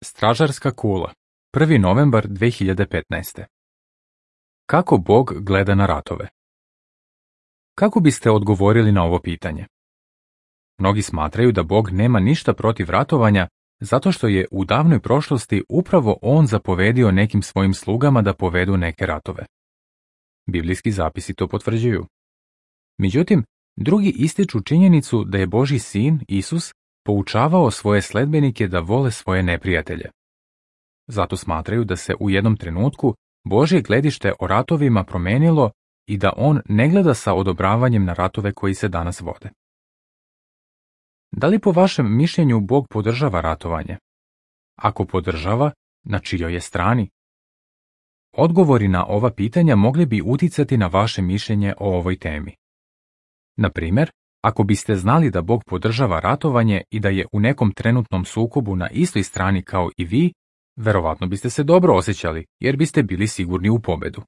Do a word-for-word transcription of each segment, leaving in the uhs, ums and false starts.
Stražarska kula, prvi novembar dve hiljade petnaeste. Kako Bog gleda na ratove? Kako biste odgovorili na ovo pitanje? Mnogi smatraju da Bog nema ništa protiv ratovanja zato što je u davnoj prošlosti upravo On zapovedio nekim svojim slugama da povedu neke ratove. Biblijski zapisi to potvrđuju. Međutim, drugi ističu činjenicu da je Božji sin, Isus, poučavao svoje sledbenike da vole svoje neprijatelje. Zato smatraju da se u jednom trenutku Božje gledište o ratovima promenilo i da On ne gleda sa odobravanjem na ratove koji se danas vode. Da li po vašem mišljenju Bog podržava ratovanje? Ako podržava, na čijoj je strani? Odgovori na ova pitanja mogli bi uticati na vaše mišljenje o ovoj temi. Na primjer, ako biste znali da Bog podržava ratovanje i da je u nekom trenutnom sukobu na istoj strani kao i vi, verovatno biste se dobro osjećali jer biste bili sigurni u pobedu.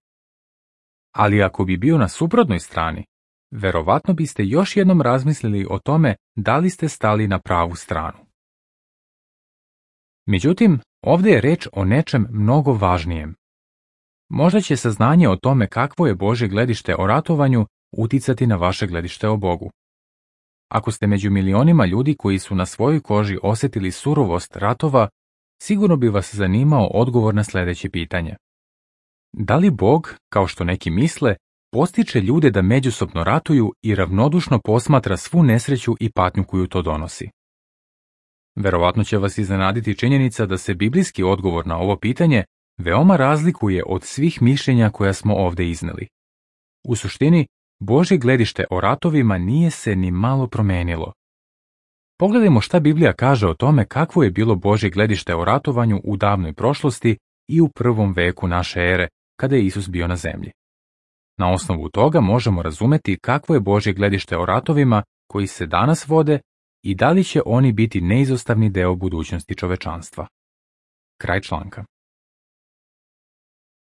Ali ako bi bio na suprotnoj strani, verovatno biste još jednom razmislili o tome da li ste stali na pravu stranu. Međutim, ovdje je reč o nečem mnogo važnijem. Možda će saznanje o tome kakvo je Božje gledište o ratovanju uticati na vaše gledište o Bogu. Ako ste među milionima ljudi koji su na svojoj koži osjetili surovost ratova, sigurno bi vas zanimao odgovor na sljedeće pitanje. Da li Bog, kao što neki misle, postiče ljude da međusobno ratuju i ravnodušno posmatra svu nesreću i patnju koju to donosi? Verovatno će vas iznenaditi činjenica da se biblijski odgovor na ovo pitanje veoma razlikuje od svih mišljenja koja smo ovdje izneli. U suštini, Božje gledište o ratovima nije se ni malo promenilo. Pogledajmo šta Biblija kaže o tome kakvo je bilo Božje gledište o ratovanju u davnoj prošlosti i u prvom veku naše ere, kada je Isus bio na zemlji. Na osnovu toga možemo razumeti kakvo je Božje gledište o ratovima koji se danas vode i da li će oni biti neizostavni deo budućnosti čovečanstva. Kraj članka.